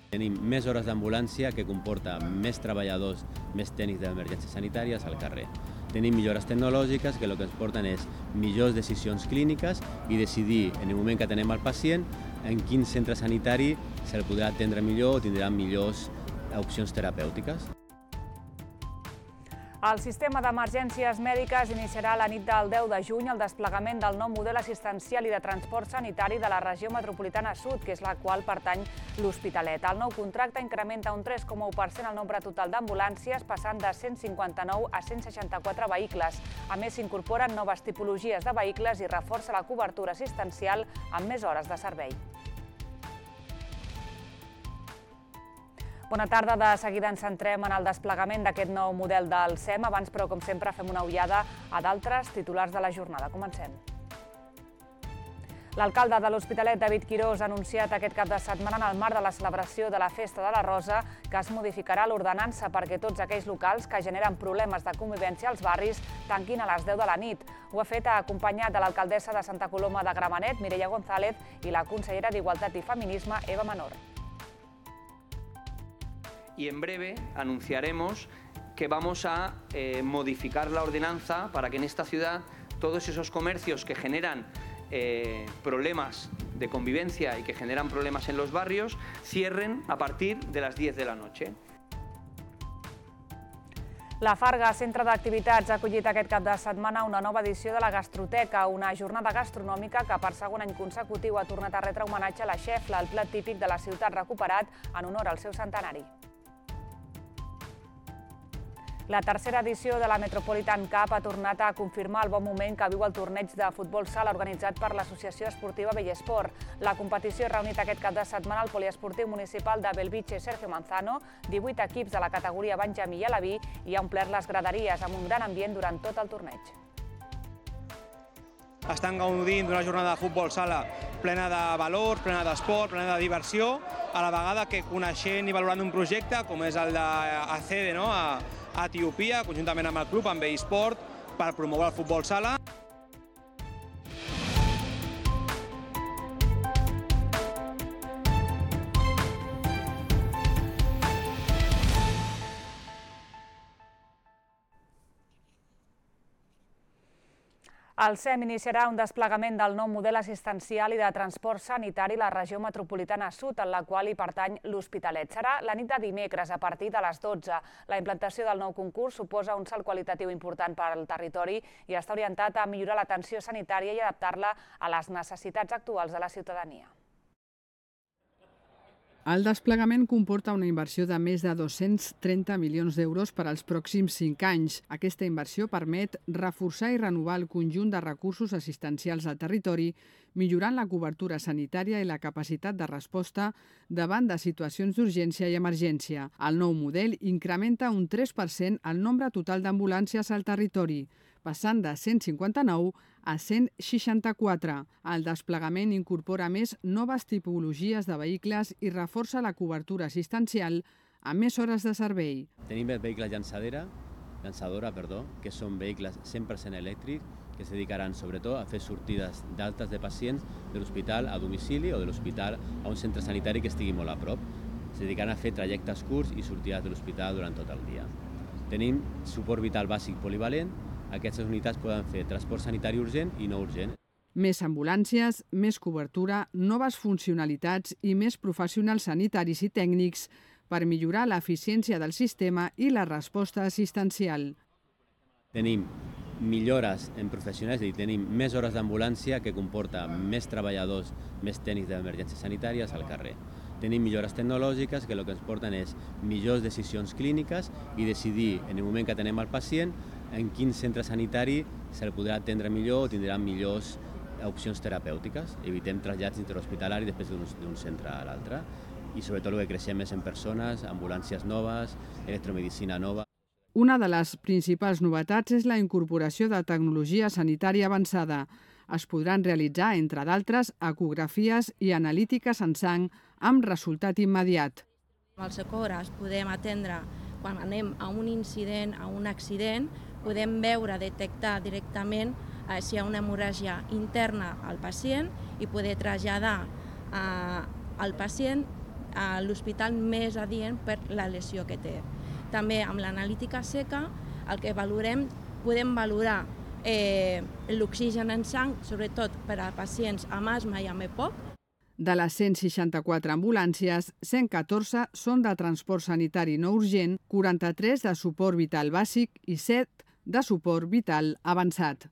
Tenim més hores d'ambulància, que comporta més treballadors, més tècnics d'emergències sanitàries al carrer. Tenim millores tecnològiques que el que ens porten és millors decisions clíniques i decidir en el moment que atenem al pacient en quin centre sanitari se'l podrà atendre millor o tindrà millors opcions terapèutiques. El sistema d'emergències mèdiques iniciarà la nit del 10 de juny el desplegament del nou model assistencial i de transport sanitari de la regió metropolitana sud, que és la qual pertany l'Hospitalet. El nou contracte incrementa un 3,1% el nombre total d'ambulàncies, passant de 159 a 164 vehicles. A més, s'incorporen noves tipologies de vehicles i reforça la cobertura assistencial amb més hores de servei. Bona tarda. De seguida ens centrem en el desplegament d'aquest nou model del SEM. Abans, però, com sempre, fem una ullada a d'altres titulars de la jornada. Comencem. L'alcalde de l'Hospitalet, David Quirós, ha anunciat aquest cap de setmana en el marc de la celebració de la Festa de la Rosa que es modificarà l'ordenança perquè tots aquells locals que generen problemes de convivència als barris tanquin a les 10 de la nit. Ho ha fet acompanyat de l'alcaldessa de Santa Coloma de Gramenet, Mireia González, i la consellera d'Igualtat i Feminisme, Eva Menor. Y en breve anunciaremos que vamos a modificar la ordenanza para que en esta ciudad todos esos comercios que generan problemas de convivencia y que generan problemas en los barrios cierren a partir de las 10 de la noche. La Farga, centre d'activitats, ha acollit aquest cap de setmana una nova edició de la Gastroteca, una jornada gastronòmica que per segon any consecutiu ha tornat a retre homenatge a la xefla, el plat típic de la ciutat recuperat en honor al seu centenari. La tercera edició de la Metropolitan Cup ha tornat a confirmar el bon moment que viu el torneig de futbol sala organitzat per l'Associació Esportiva Bellesport. La competició ha reunit aquest cap de setmana al poliesportiu municipal de Belvitge Sergio Manzano, 18 equips de la categoria Benjamí i Alaví i ha omplert les graderies amb un gran ambient durant tot el torneig. Estan gaudint d'una jornada de futbol sala plena de valors, plena d'esport, plena de diversió, a la vegada que coneixent i valorant un projecte com és el d'ACD, a Etiòpia, conjuntament amb el club, amb eSport, per promoure el futbol sala. El SEM iniciarà un desplegament del nou model assistencial i de transport sanitari a la regió metropolitana sud, en la qual hi pertany l'Hospitalet. Serà la nit de dimecres a partir de les 12. La implantació del nou concurs suposa un salt qualitatiu important per al territori i està orientat a millorar l'atenció sanitària i adaptar-la a les necessitats actuals de la ciutadania. El desplegament comporta una inversió de més de 230 milions d'euros per als pròxims 5 anys. Aquesta inversió permet reforçar i renovar el conjunt de recursos assistencials al territori, millorant la cobertura sanitària i la capacitat de resposta davant de situacions d'urgència i emergència. El nou model incrementa un 3% el nombre total d'ambulàncies al territori, passant de 159 a 164. El desplegament incorpora més noves tipologies de vehicles i reforça la cobertura assistencial amb més hores de servei. Tenim vehicles llançadora, que són vehicles 100% elèctrics que es dedicaran sobretot a fer sortides d'altes de pacients de l'hospital a domicili o de l'hospital a un centre sanitari que estigui molt a prop. Es dedicaran a fer trajectes curts i sortides de l'hospital durant tot el dia. Tenim suport vital bàsic polivalent. Aquestes unitats poden fer transport sanitari urgent i no urgent. Més ambulàncies, més cobertura, noves funcionalitats i més professionals sanitaris i tècnics per millorar l'eficiència del sistema i la resposta assistencial. Tenim millores en professionals, és a dir, tenim més hores d'ambulància que comporta més treballadors, més tècnics d'emergències sanitàries al carrer. Tenim millores tecnològiques que el que ens porten és millors decisions clíniques i decidir en el moment que atenem al pacient en quin centre sanitari se'l podrà atendre millor o tindrà millors opcions terapèutiques. Evitem trasllats interhospitalaris després d'un centre a l'altre i sobretot el que creixem és en persones, ambulàncies noves, electromedicina nova. Una de les principals novetats és la incorporació de tecnologia sanitària avançada. Es podran realitzar, entre d'altres, ecografies i analítiques en sang amb resultat immediat. Al Socorros podem atendre quan anem a un incident, a un accident, podem veure, detectar directament si hi ha una hemorràgia interna al pacient i poder traslladar al pacient l'hospital més adient per la lesió que té. També amb l'analítica seca el que valorem, podem valorar l'oxigen en sang, sobretot per a pacients amb asma i amb EPOC. De les 164 ambulàncies, 114 són de transport sanitari no urgent, 43 de suport vital bàsic i 7 de suport vital avançat.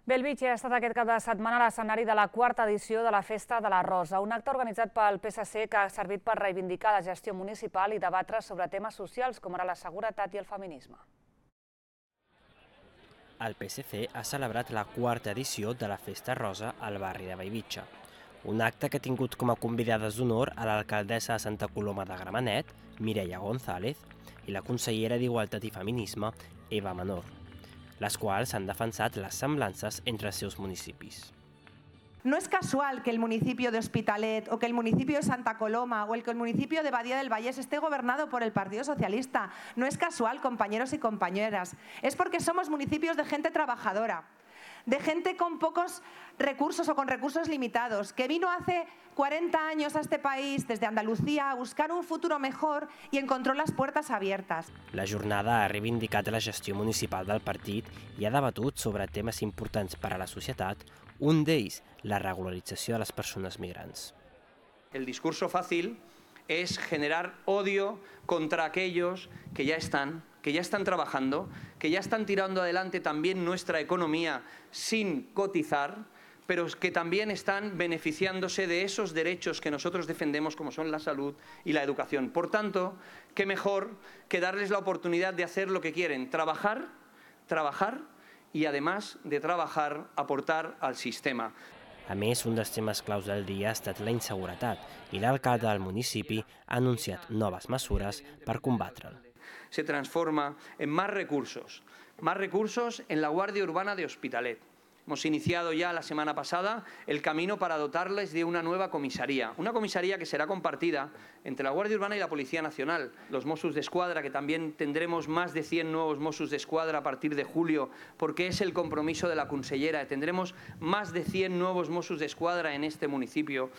Bellvitge ha estat aquest cap de setmana l'escenari de la quarta edició de la Festa de la Rosa, un acte organitzat pel PSC que ha servit per reivindicar la gestió municipal i debatre sobre temes socials com ara la seguretat i el feminisme. El PSC ha celebrat la quarta edició de la Festa Rosa al barri de Bellvitge, un acte que ha tingut com a convidades d'honor a l'alcaldessa de Santa Coloma de Gramenet, Mireia González, i la consellera d'Igualtat i Feminisme, Eva Menor, les quals han defensat les semblances entre els seus municipis. No es casual que el municipio de Hospitalet o que el municipio de Santa Coloma o que el municipio de Badía del Vallés esté gobernado por el Partido Socialista. No es casual, compañeros y compañeras. Es porque somos municipios de gente trabajadora, de gente con pocos recursos o con recursos limitados, que vino hace 40 años a este país desde Andalucía a buscar un futuro mejor y encontró las puertas abiertas. La jornada ha reivindicat la gestió municipal del partit i ha debatut sobre temes importants per a la societat, un d'ells, la regularització de les persones migrants. El discurso fácil es generar odio contra aquellos que ya están trabajando, que ya están tirando adelante también nuestra economía sin cotizar, pero que también están beneficiándose de esos derechos que nosotros defendemos, como son la salud y la educación. Por tanto, qué mejor que darles la oportunidad de hacer lo que quieren, trabajar y además de trabajar, aportar al sistema. A més, un dels temes claus del dia ha estat la inseguretat i l'alcalde del municipi ha anunciat noves mesures per combatre'l. Se transforma en más recursos en la Guardia Urbana de Hospitalet. Hemos iniciado ya la semana pasada el camino para dotarles de una nueva comisaría. Una comisaría que será compartida entre la Guardia Urbana y la Policía Nacional. Los Mossos d'Esquadra, que también tendremos más de 100 nuevos Mossos d'Esquadra a partir de julio, porque es el compromiso de la consellera. Tendremos más de 100 nuevos Mossos d'Esquadra en este municipio.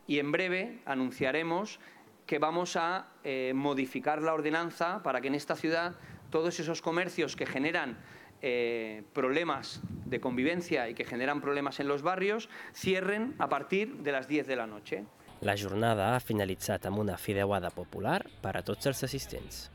Y en breve anunciaremos que vamos a modificar la ordenanza para que en esta ciudad todos esos comercios que generan problemas de convivencia y que generan problemas en los barrios cierren a partir de las 10 de la noche. La jornada ha finalitzat amb una fideuada popular per a tots els assistents.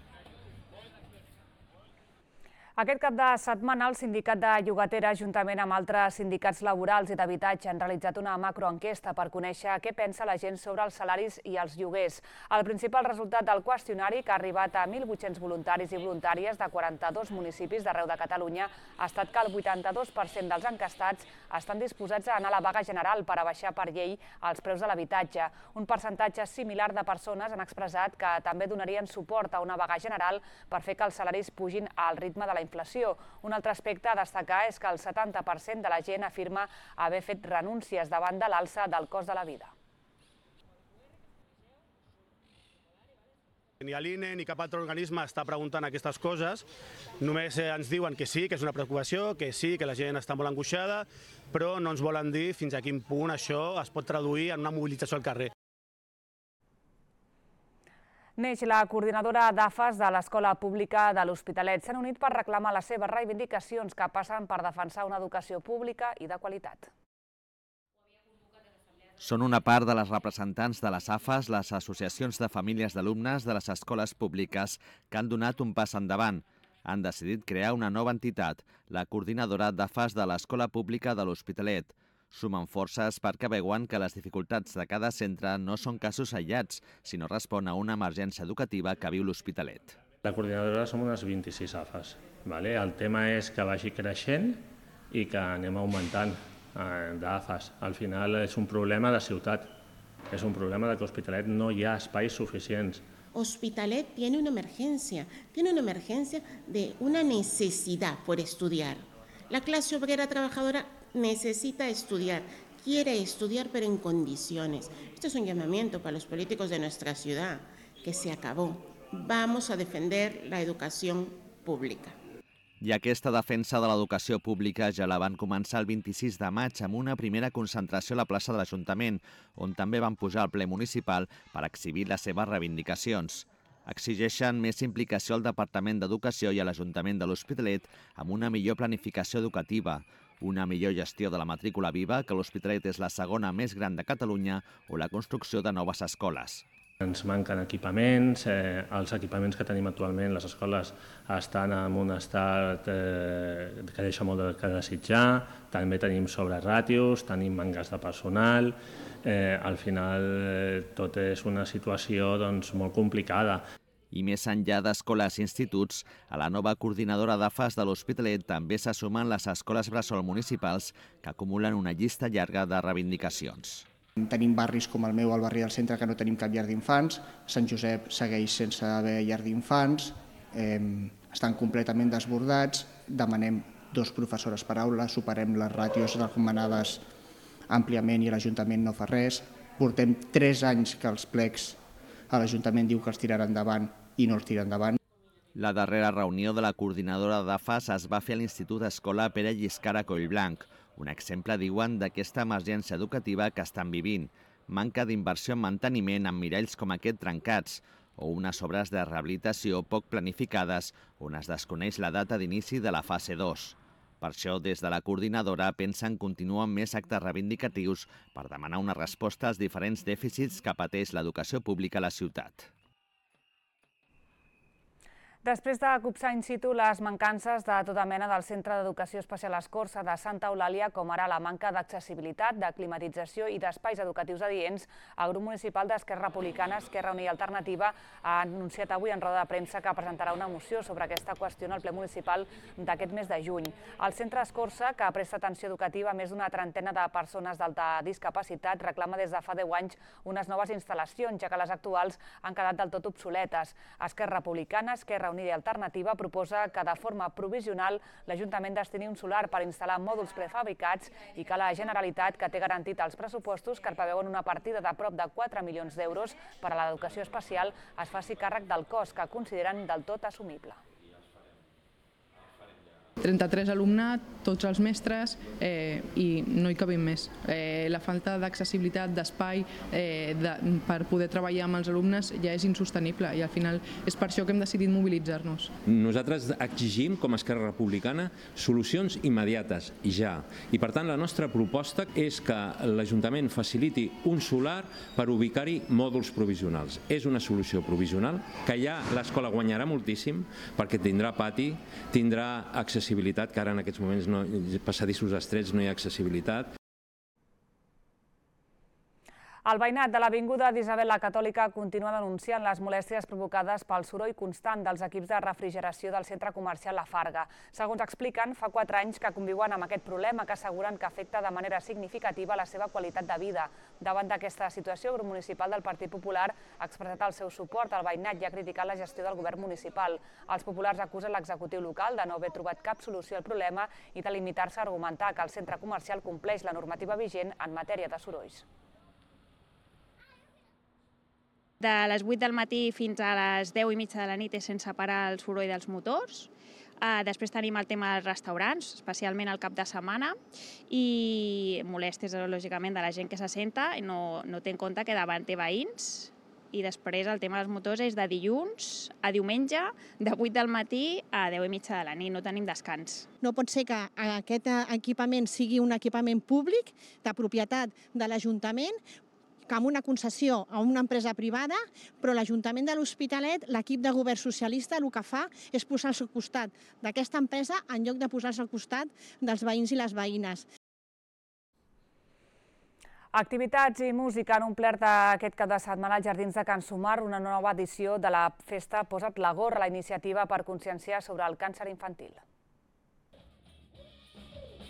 Aquest cap de setmana el Sindicat de Llogatera, juntament amb altres sindicats laborals i d'habitatge, han realitzat una macroenquesta per conèixer què pensa la gent sobre els salaris i els lloguers. El principal resultat del qüestionari, que ha arribat a 1.800 voluntaris i voluntàries de 42 municipis d'arreu de Catalunya, ha estat que el 82% dels encastats estan disposats a anar a la vaga general per abaixar per llei els preus de l'habitatge. Un percentatge similar de persones han expressat que també donarien suport a una vaga general per fer que els salaris pugin al ritme de la inflació. Un altre aspecte a destacar és que el 70% de la gent afirma haver fet renúncies davant de l'alça del cost de la vida. Ni l'INE ni cap altre organisme està preguntant aquestes coses, només ens diuen que sí, que és una preocupació, que sí, que la gent està molt angoixada, però no ens volen dir fins a quin punt això es pot traduir en una mobilització al carrer. Neix, la coordinadora d'AFAS de l'Escola Pública de l'Hospitalet, s'han unit per reclamar les seves reivindicacions que passen per defensar una educació pública i de qualitat. Són una part de les representants de les AFAS, les associacions de famílies d'alumnes de les escoles públiques, que han donat un pas endavant. Han decidit crear una nova entitat, la coordinadora d'AFAS de l'Escola Pública de l'Hospitalet. Sumen forces perquè veuen que les dificultats de cada centre no són casos aïllats, sinó respon a una emergència educativa que viu l'Hospitalet. La coordinadora som unes 26 AFAS. El tema és que vagi creixent i que anem augmentant d'AFAS. Al final és un problema de ciutat, és un problema de que a Hospitalet no hi ha espais suficients. Hospitalet tiene una emergencia de una necesidad por estudiar. La clase obrera trabajadora necesita estudiar, quiere estudiar, pero en condiciones. Esto es un llamamiento para los políticos de nuestra ciudad, que se acabó. Vamos a defender la educación pública. I aquesta defensa de l'educació pública ja la van començar el 26 de maig amb una primera concentració a la plaça de l'Ajuntament, on també van pujar al ple municipal per exhibir les seves reivindicacions. Exigeixen més implicació al Departament d'Educació i a l'Ajuntament de l'Hospitalet amb una millor planificació educativa, una millor gestió de la matrícula viva, que l'Hospitalet és la segona més gran de Catalunya, o la construcció de noves escoles. Ens manquen equipaments, els equipaments que tenim actualment, les escoles estan en un estat que deixa molt de desitjar, també tenim sobreràtios, tenim manques de personal, al final tot és una situació molt complicada. I més enllà d'escoles i instituts, a la nova coordinadora d'AFAS de l'Hospitalet també se sumen les escoles bressol municipals que acumulen una llista llarga de reivindicacions. Tenim barris com el meu, al barri del centre, que no tenim cap llar d'infants. Sant Josep segueix sense haver llar d'infants. Estan completament desbordats. Demanem 2 professores per aula, superem les ràtios recomanades àmpliament i l'Ajuntament no fa res. Portem 3 anys que els plecs a l'Ajuntament diu que els tirarà endavant i no els tira endavant. La darrera reunió de la coordinadora d'AFAS es va fer a l'Institut Escola Pere Lliscar a Collblanc, un exemple, diuen, d'aquesta emergència educativa que estan vivint. Manca d'inversió en manteniment amb miralls com aquest trencats o unes obres de rehabilitació poc planificades on es desconeix la data d'inici de la fase 2. Per això, des de la coordinadora, pensen continuar amb més actes reivindicatius per demanar una resposta als diferents dèficits que pateix l'educació pública a la ciutat. Després de copsar in situ les mancances de tota mena del Centre d'Educació Especial Escorça de Santa Eulàlia, com ara la manca d'accessibilitat, de climatització i d'espais educatius adients, el grup municipal d'Esquerra Republicana, Esquerra Unida i Alternativa ha anunciat avui en roda de premsa que presentarà una moció sobre aquesta qüestió en el ple municipal d'aquest mes de juny. El centre Escorça, que presta atenció educativa a més d'una trentena de persones d'alta discapacitat, reclama des de fa 10 anys unes noves instal·lacions, ja que les actuals han quedat del tot obsoletes. Esquerra Republicana, Esquerra Unida i Alternativa proposa que de forma provisional l'Ajuntament destini un solar per instal·lar mòduls prefabricats i que la Generalitat, que té garantit els pressupostos que preveuen una partida de prop de 4 milions d'euros per a l'educació especial, es faci càrrec del cost que consideren del tot assumible. 33 alumnes, tots els mestres, i no hi cabem més. La falta d'accessibilitat, d'espai per poder treballar amb els alumnes ja és insostenible i al final és per això que hem decidit mobilitzar-nos. Nosaltres exigim, com a Esquerra Republicana, solucions immediates, ja. I per tant la nostra proposta és que l'Ajuntament faciliti un solar per ubicar-hi mòduls provisionals. És una solució provisional que ja l'escola guanyarà moltíssim perquè tindrà pati, tindrà accessibilitat, que ara en aquests moments passadissos estrets no hi ha accessibilitat. El veïnat de l'Avinguda d'Isabel la Catòlica continua denunciant les molèsties provocades pel soroll constant dels equips de refrigeració del centre comercial La Farga. Segons expliquen, fa 4 anys que conviuen amb aquest problema que asseguren que afecta de manera significativa la seva qualitat de vida. Davant d'aquesta situació, el grup municipal del Partit Popular ha expressat el seu suport al veïnat i ha criticat la gestió del govern municipal. Els populars acusen l'executiu local de no haver trobat cap solució al problema i de limitar-se a argumentar que el centre comercial compleix la normativa vigent en matèria de sorolls. De les 8 del matí fins a les 10 i mitja de la nit és sense parar el soroll dels motors. Després tenim el tema dels restaurants, especialment al cap de setmana, i molèsties, lògicament, de la gent que s'assenta i no té en compte que davant té veïns. I després el tema dels motors és de dilluns a diumenge, de 8 del matí a 10 i mitja de la nit, no tenim descans. No pot ser que aquest equipament sigui un equipament públic de propietat de l'Ajuntament, que amb una concessió a una empresa privada, però l'Ajuntament de l'Hospitalet, l'equip de govern socialista, el que fa és posar-se al costat d'aquesta empresa en lloc de posar-se al costat dels veïns i les veïnes. Activitats i música han omplert aquest cap de setmana als Jardins de Can Sumar una nova edició de la festa Posa't la gorra, la iniciativa per conscienciar sobre el càncer infantil.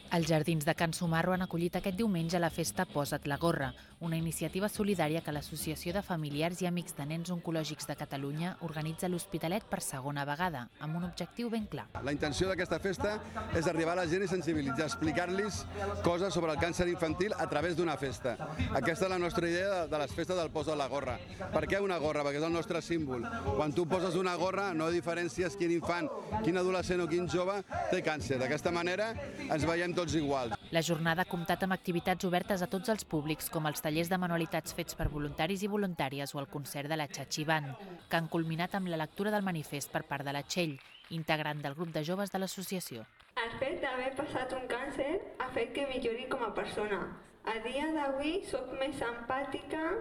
Els jardins de Can Sumarro han acollit aquest diumenge la festa Posa't la gorra, una iniciativa solidària que l'Associació de Familiars i Amics de Nens Oncològics de Catalunya organitza a l'Hospitalet per segona vegada, amb un objectiu ben clar. La intenció d'aquesta festa és arribar a la gent i sensibilitzar, explicar-los coses sobre el càncer infantil a través d'una festa. Aquesta és la nostra idea de les festes del Posa't la gorra. Per què una gorra? Perquè és el nostre símbol. Quan tu poses una gorra no diferències quin infant, quin adolescent o quin jove té càncer. D'aquesta manera ens veiem tots iguals. La jornada ha comptat amb activitats obertes a tots els públics, com els tallers de manualitats fets per voluntaris i voluntàries o el concert de la Chachi Band, que han culminat amb la lectura del manifest per part de la Txell, integrant del grup de joves de l'associació. El fet d'haver passat un càncer ha fet que millori com a persona. A dia d'avui soc més empàtica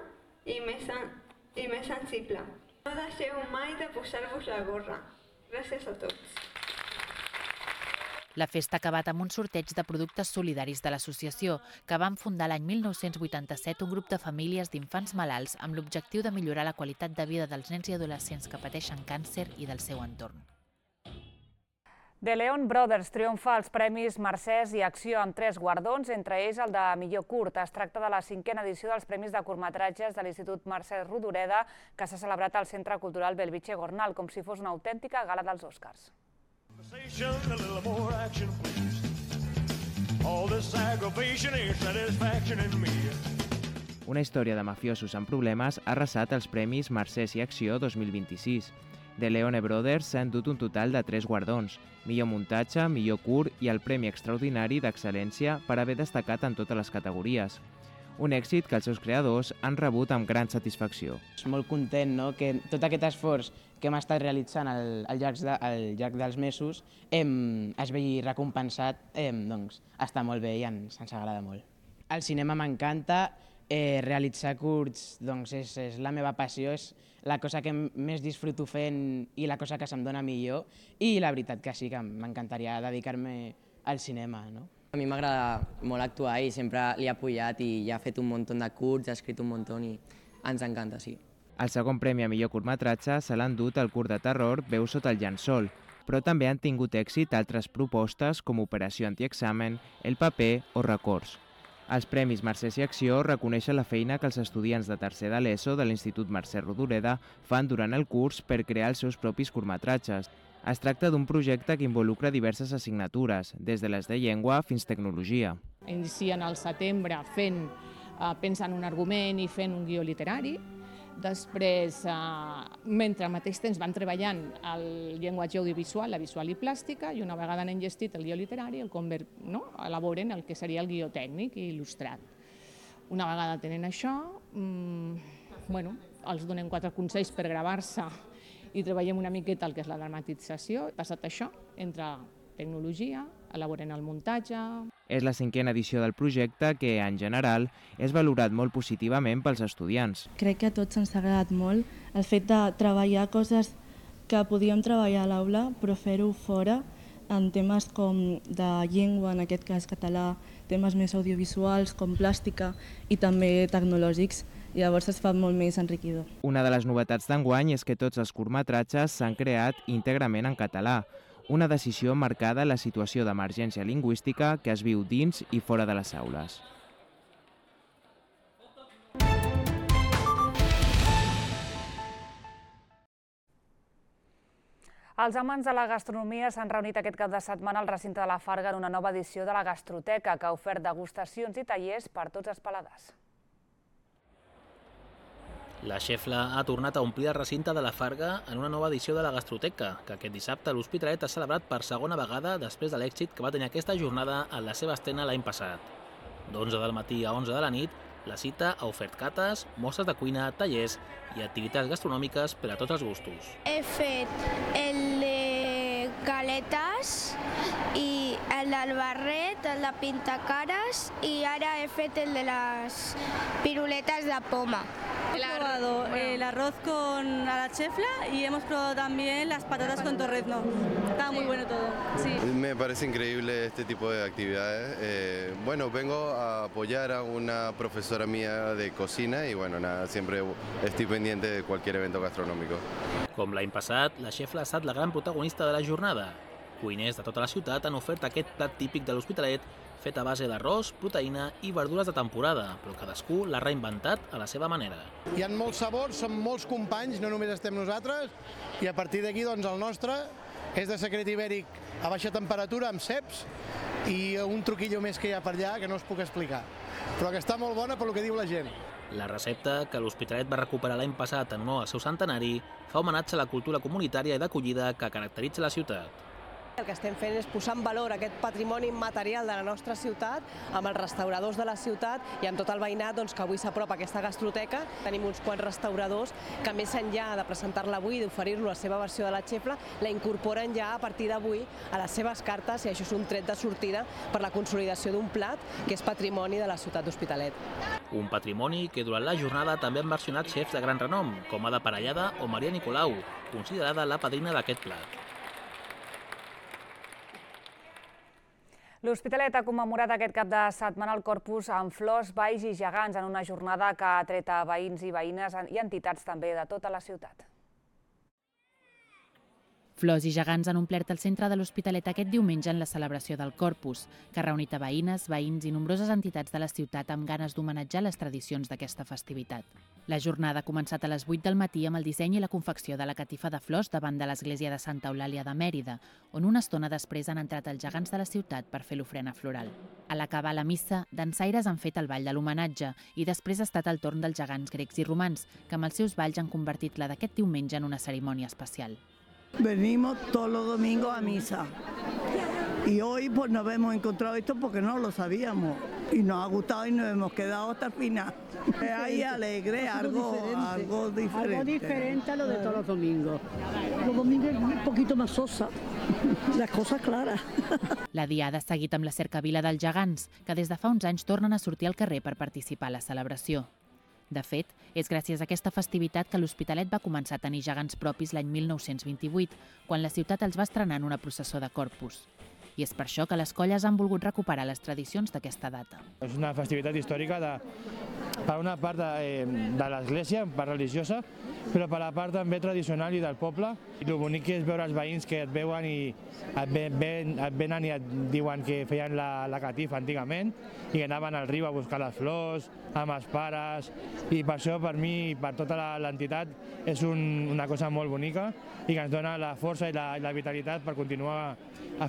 i més sensible. No deixeu mai de posar-vos la gorra. Gràcies a tots. La festa ha acabat amb un sorteig de productes solidaris de l'associació, que van fundar l'any 1987 un grup de famílies d'infants malalts amb l'objectiu de millorar la qualitat de vida dels nens i adolescents que pateixen càncer i del seu entorn. The Leon Brothers triomfa als Premis Mercès i Acció amb 3 guardons, entre ells el de millor curt. Es tracta de la 5a edició dels Premis de curtmetratges de l'Institut Mercè Rodoreda, que s'ha celebrat al Centre Cultural Bellvitge Gornal, com si fos una autèntica gala dels Oscars. Una història de mafiosos amb problemes ha arrasat els Premis Mercès i Acció 2026. The Leone Brothers s'ha endut un total de 3 guardons: millor muntatge, millor curt i el Premi Extraordinari d'Excel·lència per haver destacat en totes les categories. Un èxit que els seus creadors han rebut amb gran satisfacció. Molt content que tot aquest esforç que hem estat realitzant al llarg dels mesos es vegi recompensat, està molt bé i ens agrada molt. El cinema m'encanta, realitzar curts és la meva passió, és la cosa que més disfruto fent i la cosa que se'm dona millor, i la veritat que sí que m'encantaria dedicar-me al cinema. A mi m'agrada molt actuar i sempre l'he apoyat i ja ha fet un munt de curts, ha escrit un munt i ens encanta, sí. El segon premi a millor curtmetratge se l'ha endut el curt de terror Veu sota el llençol, però també han tingut èxit altres propostes com Operació Antiexamen, El paper o Records. Els Premis Mercès i Acció reconeixen la feina que els estudiants de tercer de l'ESO de l'Institut Mercè Rodoreda fan durant el curs per crear els seus propis curtmetratges. Es tracta d'un projecte que involucra diverses assignatures, des de les de llengua fins tecnologia. Inicien al setembre pensant un argument i fent un guió literari. Després, mentre al mateix temps van treballant el llenguatge audiovisual, la visual i plàstica, i una vegada han enllestit el guió literari, elaboren el que seria el guió tècnic i il·lustrat. Una vegada tenen això, els donem 4 consells per gravar-se i treballem una miqueta el que és la dramatització. Passat això, entra tecnologia, elaboren el muntatge. És la 5a edició del projecte que, en general, és valorat molt positivament pels estudiants. Crec que a tots ens ha agradat molt el fet de treballar coses que podíem treballar a l'aula, però fer-ho fora, en temes com de llengua, en aquest cas català, temes més audiovisuals com plàstica i també tecnològics. Llavors es fa molt més enriquidor. Una de les novetats d'enguany és que tots els curtmetratges s'han creat íntegrament en català, una decisió marcada en la situació d'emergència lingüística que es viu dins i fora de les aules. Els amants de la gastronomia s'han reunit aquest cap de setmana al recinte de la Farga en una nova edició de la Gastroteca, que ha ofert degustacions i tallers per tots els paladars. La Xefla ha tornat a omplir el recinte de la Farga en una nova edició de la Gastroteca, que aquest dissabte l'Hospitalet ha celebrat per segona vegada després de l'èxit que va tenir aquesta jornada en la seva estrena l'any passat. D'11 del matí a 11 de la nit, la cita ha ofert cates, mostres de cuina, tallers i activitats gastronòmiques per a tots els gustos. He fet el de galetes i el del barret, el de pintacares i ara he fet el de les piruletas de poma. Hemos probado el arroz a la chefla y hemos probado también las patatas con torrezno. Está muy bueno todo. Sí. Me parece increíble este tipo de actividades. Vengo a apoyar a una profesora mía de cocina y siempre estoy pendiente de cualquier evento gastronómico. Com l'any passat, la Xefla ha estat la gran protagonista de la jornada. Cuiners de tota la ciutat han ofert aquest plat típic de l'Hospitalet fet a base d'arròs, proteïna i verdures de temporada, però cadascú l'ha reinventat a la seva manera. Hi ha molts sabors, som molts companys, no només estem nosaltres, i a partir d'aquí doncs, el nostre és de secret ibèric a baixa temperatura amb ceps i un truquillo més que hi ha per allà que no us puc explicar, però que està molt bona per lo que diu la gent. La recepta, que l'Hospitalet va recuperar l'any passat en honor al seu centenari, fa homenatge a la cultura comunitària i d'acollida que caracteritza la ciutat. El que estem fent és posar en valor aquest patrimoni immaterial de la nostra ciutat amb els restauradors de la ciutat i amb tot el veïnat que avui s'apropa a aquesta gastroteca. Tenim uns quants restauradors que més enllà de presentar-la avui i d'oferir-lo la seva versió de la xefla, la incorporen ja a partir d'avui a les seves cartes i això és un tret de sortida per la consolidació d'un plat que és patrimoni de la ciutat d'Hospitalet. Un patrimoni que durant la jornada també han versionat xefs de gran renom, com Ada Parellada o Maria Nicolau, considerada la padrina d'aquest plat. L'Hospitalet ha commemorat aquest cap de setmana el Corpus amb flors, balls i gegants en una jornada que ha tret a veïns i veïnes i entitats també de tota la ciutat. Flors i gegants han omplert el centre de l'Hospitalet aquest diumenge en la celebració del Corpus, que ha reunit a veïnes, veïns i nombroses entitats de la ciutat amb ganes d'homenatjar les tradicions d'aquesta festivitat. La jornada ha començat a les 8 del matí amb el disseny i la confecció de la catifa de flors davant de l'església de Santa Eulàlia de Mèrida, on una estona després han entrat els gegants de la ciutat per fer l'ofrena floral. A l'acabar la missa, dansaires han fet el ball de l'homenatge i després ha estat el torn dels gegants grecs i romans, que amb els seus balls han convertit la d'aquest diumenge en una cerimònia especial. Venimos todos los domingos a misa y hoy pues nos hemos encontrado esto porque no lo sabíamos y nos ha gustado y nos hemos quedado hasta el final. Ahí alegre, algo diferente. Algo diferente a lo de todos los domingos. Los domingos es un poquito más sosa, las cosas claras. La diada ha seguit amb la cercavila dels gegants, que des de fa uns anys tornen a sortir al carrer per participar a la celebració. De fet, és gràcies a aquesta festivitat que l'Hospitalet va començar a tenir gegants propis l'any 1928, quan la ciutat els va estrenar en una processó de Corpus. I és per això que les colles han volgut recuperar les tradicions d'aquesta data. És una festivitat històrica per una part de l'església, part religiosa, però per la part també tradicional i del poble. I el bonic és veure els veïns que et veuen i et venen i et diuen que feien la catifa antigament i que anaven al riu a buscar les flors, amb els pares, i per això per mi i per tota l'entitat és una cosa molt bonica i que ens dona la força i la vitalitat per continuar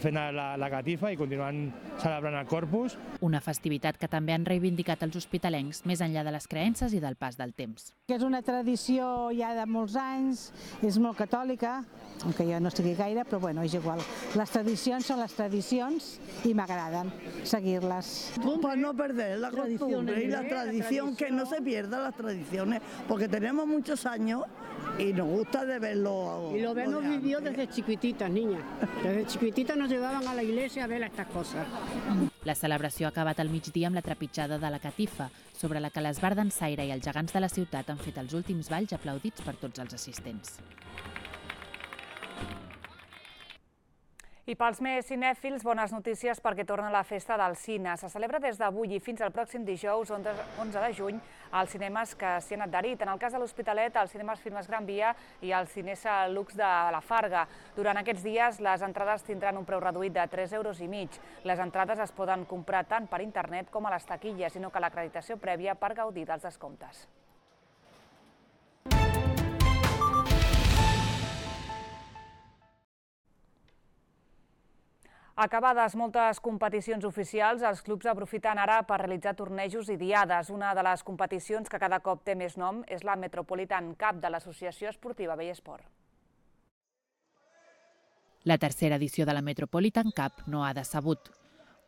fent la catifa i continuant celebrant el Corpus. Una festivitat que també han reivindicat els hospitalencs més enllà de les creences i del pas del temps. És una tradició ja de molts anys, és molt catòlica, aunque jo no estigui gaire, però bueno, és igual. Les tradicions són les tradicions i m'agraden seguir-les. Para no perder la costumbre y la tradición, que no se pierdan las tradiciones, porque tenemos muchos años y nos gusta de verlo. Y lo hemos vivido desde chiquititas, niña. Desde chiquititas nos llevaban a la iglesia a ver estas cosas. La celebració ha acabat al migdia amb la trepitjada de la catifa, sobre la que l'esbart dansaire i els gegants de la ciutat han fet els últims balls aplaudits per tots els assistents. I pels més cinèfils, bones notícies perquè torna la festa del cine. Se celebra des d'avui i fins al pròxim dijous, 11 de juny, als cinemes que s'hi han adherit. En el cas de l'Hospitalet, als cinemes Filmes Gran Via i al Cinesa Lux de la Farga. Durant aquests dies, les entrades tindran un preu reduït de 3,5 €. Les entrades es poden comprar tant per internet com a les taquilles, i no cal l'acreditació prèvia per gaudir dels descomptes. Acabades moltes competicions oficials, els clubs aprofiten ara per realitzar tornejos i diades. Una de les competicions que cada cop té més nom és la Metropolitan Cup de l'Associació Esportiva Bellesport. La tercera edició de la Metropolitan Cup no ha decebut.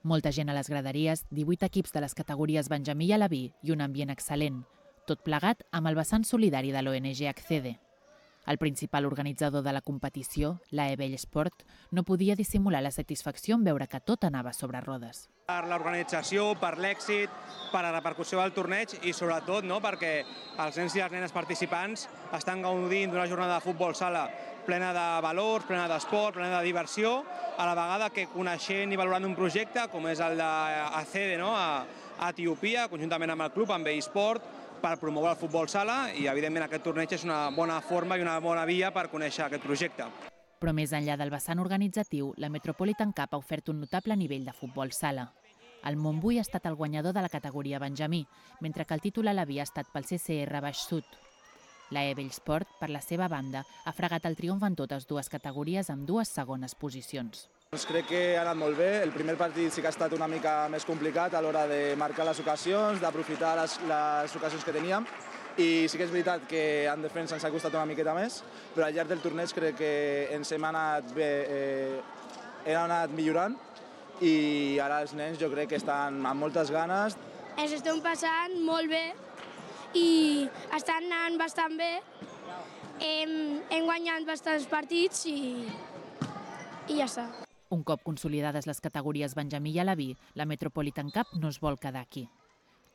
Molta gent a les graderies, 18 equips de les categories Benjamí i Alaví i un ambient excel·lent. Tot plegat amb el vessant solidari de l'ONG Accede. El principal organitzador de la competició, l'AE Bellesport, no podia dissimular la satisfacció en veure que tot anava sobre rodes. Per l'organització, per l'èxit, per la repercussió del torneig i sobretot perquè els nens i les nenes participants estan gaudint d'una jornada de futbol sala plena de valors, plena d'esport, plena de diversió, a la vegada que coneixent i valorant un projecte com és el d'Accede a Etiòpia, conjuntament amb el club, amb Bellesport, per promoure el futbol sala i, evidentment, aquest torneig és una bona forma i una bona via per conèixer aquest projecte. Però més enllà del vessant organitzatiu, la Metropolitan Cup ha ofert un notable nivell de futbol sala. El Montbui ha estat el guanyador de la categoria Benjamí, mentre que el títol havia estat pel CCR Baix Sud. La Ebelsport, per la seva banda, ha fregat el triomf en totes dues categories amb 2 segones posicions. Crec que ha anat molt bé. El primer partit sí que ha estat una mica més complicat a l'hora de marcar les ocasions, d'aprofitar les ocasions que teníem. I sí que és veritat que en defensa ens ha costat una miqueta més, però al llarg del torneig crec que ens hem anat bé, hem anat millorant i ara els nens jo crec que estan amb moltes ganes. Ens estem passant molt bé i estan anant bastant bé. Hem guanyat bastants partits i ja està. Un cop consolidades les categories Benjamí i Alaví, la Metropolitan Cup no es vol quedar aquí.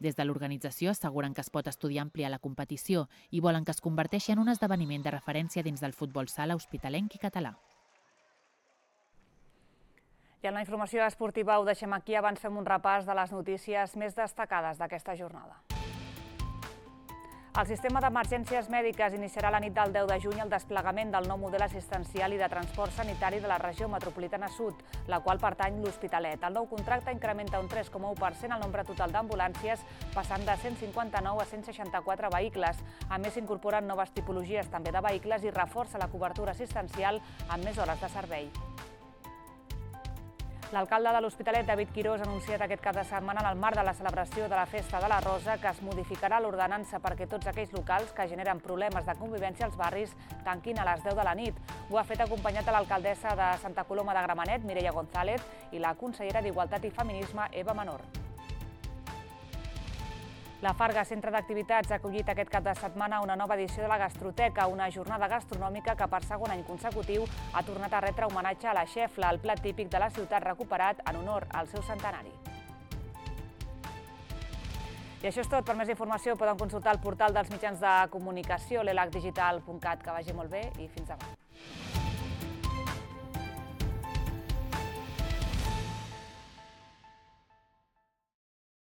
Des de l'organització asseguren que es pot estudiar ampliar la competició i volen que es converteixi en un esdeveniment de referència dins del futbol sala hospitalenc i català. I en la informació esportiva ho deixem aquí, abans fem un repàs de les notícies més destacades d'aquesta jornada. El sistema d'emergències mèdiques iniciarà la nit del 10 de juny el desplegament del nou model assistencial i de transport sanitari de la regió metropolitana sud, la qual pertany l'Hospitalet. El nou contracte incrementa un 3,1% el nombre total d'ambulàncies, passant de 159 a 164 vehicles. A més, s'incorporen noves tipologies també de vehicles i reforça la cobertura assistencial amb més hores de servei. L'alcalde de l'Hospitalet, David Quirós, ha anunciat aquest cap de setmana en el marc de la celebració de la Festa de la Rosa que es modificarà l'ordenança perquè tots aquells locals que generen problemes de convivència als barris tanquin a les 10 de la nit. Ho ha fet acompanyat de l'alcaldessa de Santa Coloma de Gramenet, Mireia González, i la consellera d'Igualtat i Feminisme, Eva Menor. La Farga, centre d'activitats, ha acollit aquest cap de setmana una nova edició de la Gastroteca, una jornada gastronòmica que per segon any consecutiu ha tornat a retre homenatge a la xefla, el plat típic de la ciutat recuperat en honor al seu centenari. I això és tot. Per més informació poden consultar el portal dels mitjans de comunicació, l'elacdigital.cat. Que vagi molt bé i fins demà.